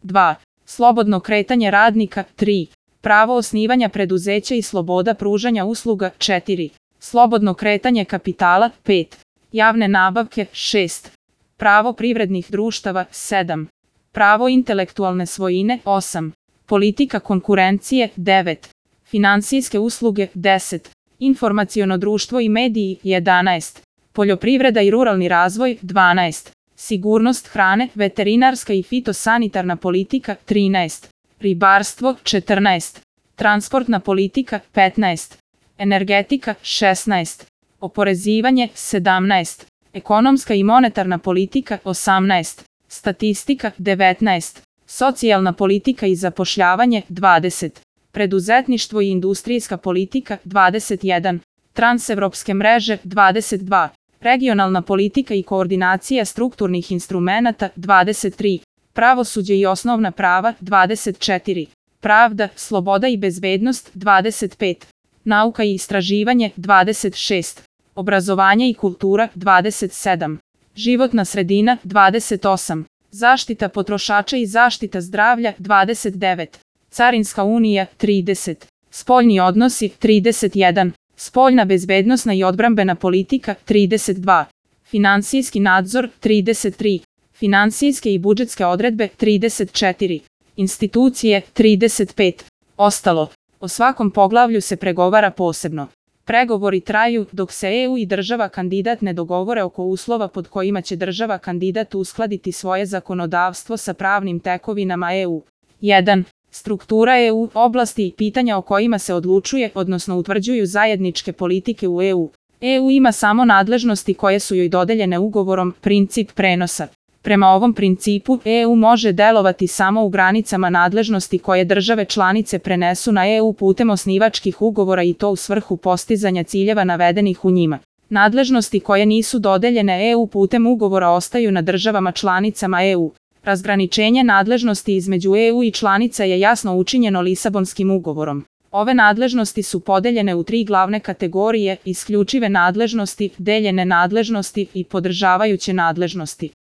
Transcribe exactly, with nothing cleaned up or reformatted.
dva. Slobodno kretanje radnika, tri. Pravo osnivanja preduzeća i sloboda pružanja usluga, četiri. Slobodno kretanje kapitala, pet. Javne nabavke, šest. Pravo privrednih društava, sedam. Pravo intelektualne svojine, osam. Politika konkurencije, devet. Finansijske usluge, deset. Informaciono društvo i mediji, jedanaest. Poljoprivreda i ruralni razvoj, dvanaest. Sigurnost hrane, veterinarska i fitosanitarna politika, trinaest. Ribarstvo, četrnaest. Transportna politika, petnaest. Energetika, šesnaest. Oporezivanje, sedamnaest. Ekonomska i monetarna politika, osamnaest. Statistika, devetnaest. Socijalna politika i zapošljavanje, dvadeset. Preduzetništvo i industrijska politika, dvadeset jedan. Transevropske mreže, dvadeset dva. Regionalna politika i koordinacija strukturnih instrumenata, dvadeset tri. Pravosuđe i osnovna prava, dvadeset četiri. Pravda, sloboda i bezbednost, dvadeset pet. Nauka i istraživanje, dvadeset šest. Obrazovanje i kultura, dvadeset sedam. Životna sredina, dvadeset osam. Zaštita potrošača i zaštita zdravlja, dvadeset devet. Carinska unija, trideset. Spoljni odnosi, trideset jedan. Spoljna bezbednosna i odbrambena politika, trideset dva. Finansijski nadzor, trideset tri. Finansijske i budžetske odredbe, trideset četiri. Institucije, trideset pet. Ostalo. O svakom poglavlju se pregovara posebno. Pregovori traju dok se E U i država kandidat ne dogovore oko uslova pod kojima će država kandidat uskladiti svoje zakonodavstvo sa pravnim tekovinama E U. jedan. Struktura E U, oblasti i pitanja o kojima se odlučuje, odnosno utvrđuju zajedničke politike u E U. E U ima samo nadležnosti koje su joj dodeljene ugovorom, princip prenosa. Prema ovom principu, E U može delovati samo u granicama nadležnosti koje države članice prenesu na E U putem osnivačkih ugovora i to u svrhu postizanja ciljeva navedenih u njima. Nadležnosti koje nisu dodeljene E U putem ugovora ostaju na državama članicama E U. Razgraničenje nadležnosti između E U i članica je jasno učinjeno Lisabonskim ugovorom. Ove nadležnosti su podeljene u tri glavne kategorije: isključive nadležnosti, deljene nadležnosti i podržavajuće nadležnosti.